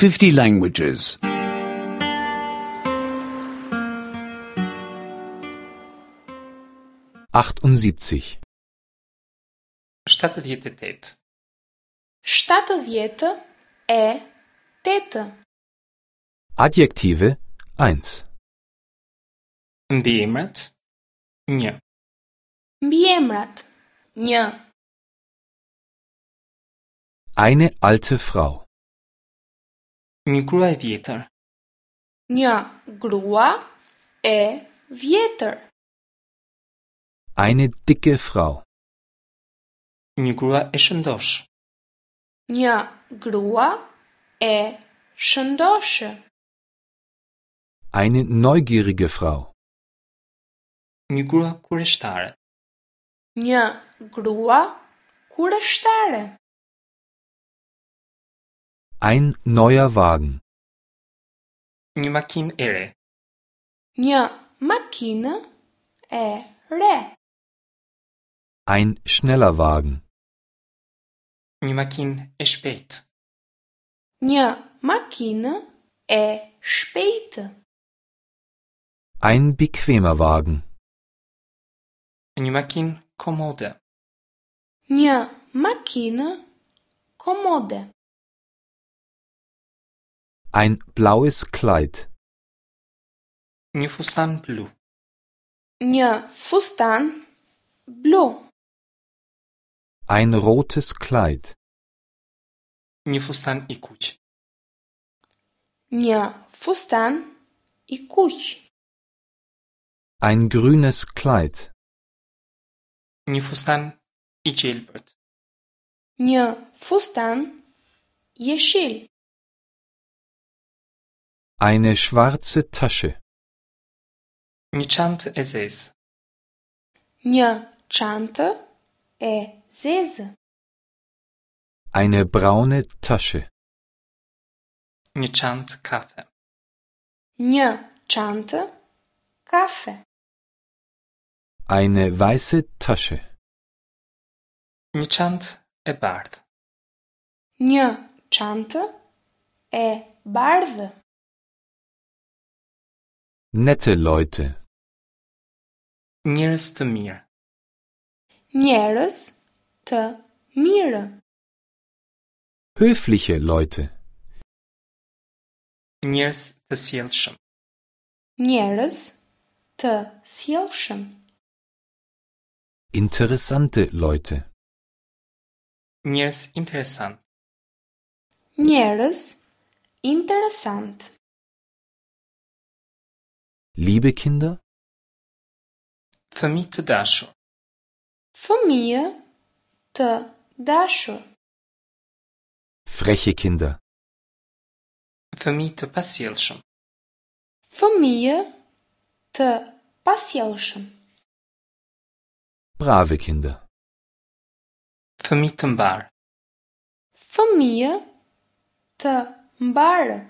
50 languages. 78. 78. 78. Adjektive 1. Mbiemrat 1. Mbiemrat 1. Eine alte Frau. Një grua e vjetër. Një grua e vjetër. Eine dicke Frau. Një grua e shëndosh. Një grua e shëndoshë. Eine neugierige Frau. Një grua kureshtare. Një grua kureshtare. Ein neuer Wagen. Një makinë e re. Një makinë e re. Ein schneller Wagen. Një makinë e shpejtë. Një makinë e shpejtë. Ein bequemer Wagen. Një makinë komode. Një makinë komode. Ein blaues Kleid. Një fustan blu. Një fustan blu. Ein rotes Kleid. Një fustan i kuq. Një fustan i kuq. Ein grünes Kleid. Një fustan i gjelbërt. Një fustan jeshil. Eine schwarze Tasche. Një çantë e zezë. Një çantë e zezë. Eine braune Tasche. Një çantë kafe. Një çantë kafe. Eine weiße Tasche. Një çantë e bardhë. Një çantë e bardhë. Nette Leute. Njerëz të mirë. Njerëz të mirë. Höfliche Leute. Njerëz të sjellshëm. Njerëz të sjellshëm. Interessante Leute. Njerëz interesant. Njerëz interesant. Liebe Kinder, Fëmijë të dashur. Fëmijë të dashur. freche Kinder. Fëmijë të pasjellshëm. Fëmijë të pasjellshëm. Brave Kinder. Fëmijë të mbar. Fëmijë të mbarë.